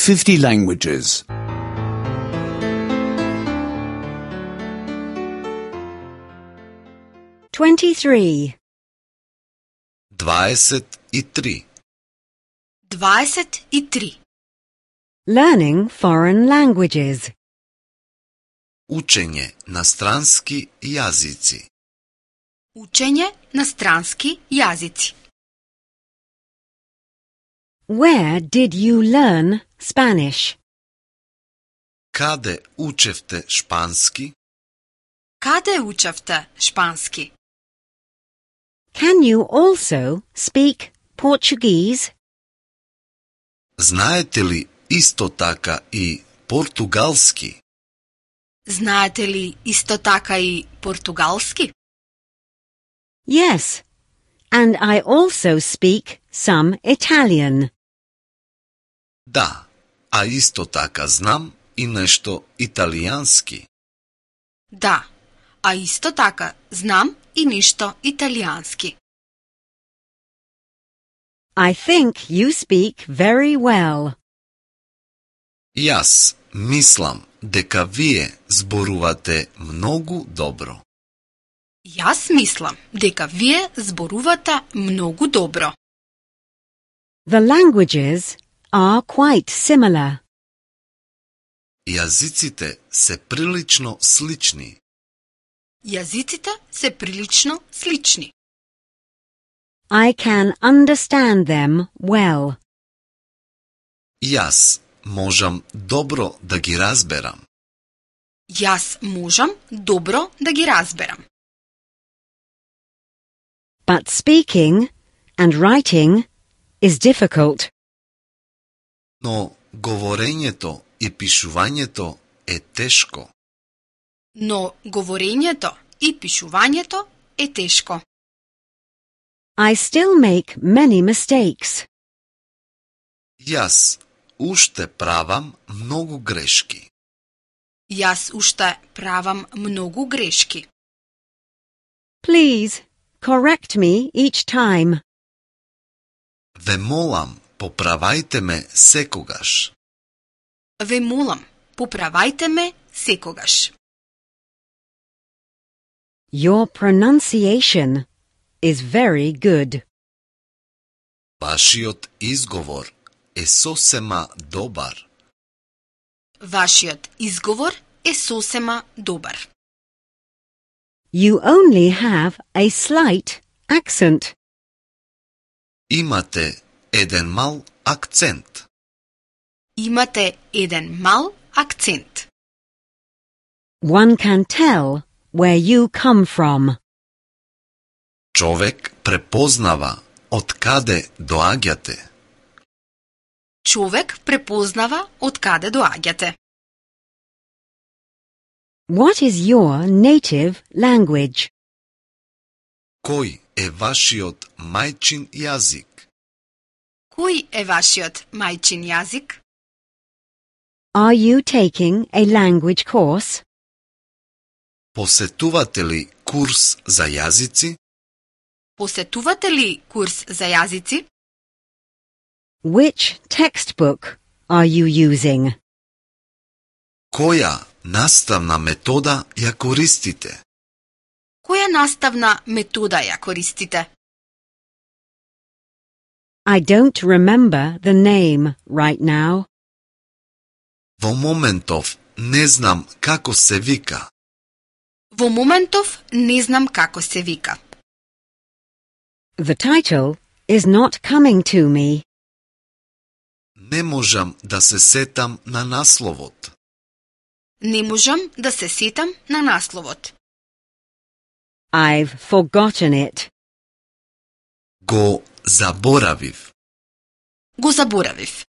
50 languages. 23. 23. 23. Learning foreign languages. Učenje na stranski jazici. Učenje na stranski jazici. Where did you learn Spanish? Kade učevte španski? Kade učevte španski? Can you also speak Portuguese? Znajete li isto taka i portugalski? Znate li isto taka i portugalski? Yes, and I also speak some Italian. Da, a isto taka znam i nešto italijanski. Da, a isto taka znam i nešto italijanski. I think you speak very well. Jas mislim deka vije zboruvate mnogu dobro. Jaz mislim, deka vije zboruvata mnogo dobro. The languages are quite similar. Jazicite se prilično slični. Jazicite se prilično slični. I can understand them well. Jas možem dobro da gi razberam. Jaz možem dobro da gi razberam. But speaking and writing is difficult. No govorenjeto i pišuvanjeto je teško. No govorenjeto i pišuvanjeto je teško. I still make many mistakes. Jas ušte pravam mnogo greški. Jaz ušte pravam mnogo greški. Please correct me each time. Ve molam, popravajte me sekogaš. Ve molam, popravajte me sekogaš. Your pronunciation is very good. Vašiot izgovor je sosema dobar. Vašiot izgovor je sosema dobar. You only have a slight accent. Imate eden mal akcent. Imate eden mal akcent. One can tell where you come from. Čovek prepoznava od kade doagjate. Човек prepoznava od kade doagjate. What is your native language? Koji je vašiot majčin jazik? Koji je vašiot majčin jazik? Are you taking a language course? Posetuvate li kurs za jazici? Posetuvate li kurs za jazici? Which textbook are you using? Koja nastavna metoda ja koristite? Koja nastavna metoda ja koristite? I don't remember the name right now. Vo momentov ne znam kako se vika. Vo momentov ne znam kako se vika. The title is not coming to me. Ne možem da se setam na naslovot. Ne možem da se setam na naslovot. I've forgotten it. Go zaboraviv. Go zaboraviv.